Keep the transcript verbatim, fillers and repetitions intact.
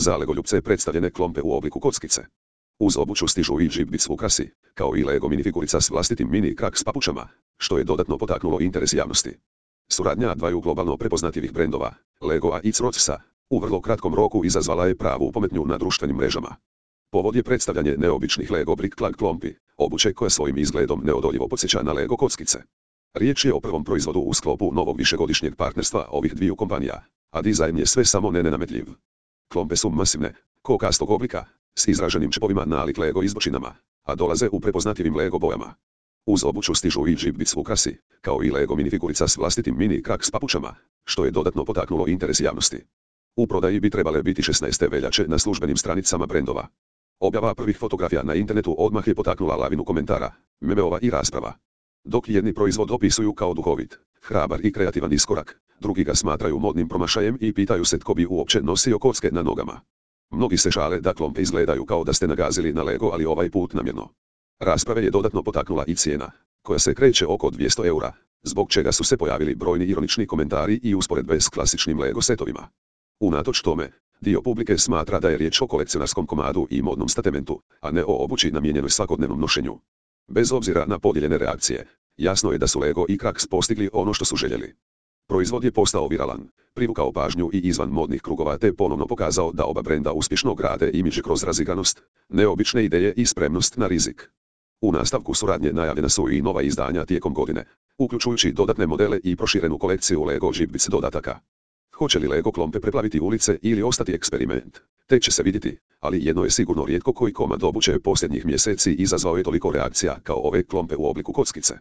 za legoljupce predstavljene klompe u obliku kockice. Uz obuću stižu i džibbic ukrasi, kao i Lego minifigurica s vlastitim mini krak s papučama, što je dodatno potaknulo interes javnosti. Suradnja dvaju globalno prepoznatljivih brendova, Legoa i Crotsa, u vrlo kratkom roku izazvala je pravu pometnju na društvenim mrežama. Povod je predstavljanje neobičnih Lego Brick Clag klompi, obuće koja svojim izgledom neodoljivo podsjeća na Lego kockice. Riječ je o prvom proizvodu u sklopu novog višegodišnjeg partnerstva ovih dviju kompanija, a dizajn je sve samo ne nenametljiv. Klompe su masivne, kokastog oblika, s izraženim čepovima nalik Lego izbočinama, a dolaze u prepoznatljivim Lego bojama. Uz obuću stižu i džibbic ukrasi, kao i Lego minifigurica s vlastitim mini krak s papučama, što je dodatno potaknulo interes javnosti. U prodaji bi trebale biti šesnaeste veljače na službenim stranicama brendova. Objava prvih fotografija na internetu odmah je potaknula lavinu komentara, memeova i rasprava. Dok jedni proizvod opisuju kao duhovit, hrabar i kreativan iskorak, drugi ga smatraju modnim promašajem i pitaju se tko bi uopće nosio kocke na nogama. Mnogi se žale da klompe izgledaju kao da ste nagazili na Lego, ali ovaj put namjerno. Rasprave je dodatno potaknula i cijena, koja se kreće oko dvjesto eura, zbog čega su se pojavili brojni ironični komentari i usporedbe s klasičnim Lego setovima. Unatoč tome, dio publike smatra da je riječ o kolekcionarskom komadu i modnom statementu, a ne o obući namijenjenoj svakodnevnom nošenju. Bez obzira na podijeljene reakcije, jasno je da su Lego i Cracks postigli ono što su željeli. Proizvod je postao viralan, privukao pažnju i izvan modnih krugova te ponovno pokazao da oba brenda uspješno grade imidž kroz razigranost, neobične ideje i spremnost na rizik. U nastavku suradnje najavljena su i nova izdanja tijekom godine, uključujući dodatne modele i proširenu kolekciju Lego džibbic dodataka. Hoće li Lego klompe preplaviti ulice ili ostati eksperiment, tek će se vidjeti, ali jedno je sigurno, rijetko koji komad obuće posljednjih mjeseci izazvao je toliko reakcija kao ove klompe u obliku kockice.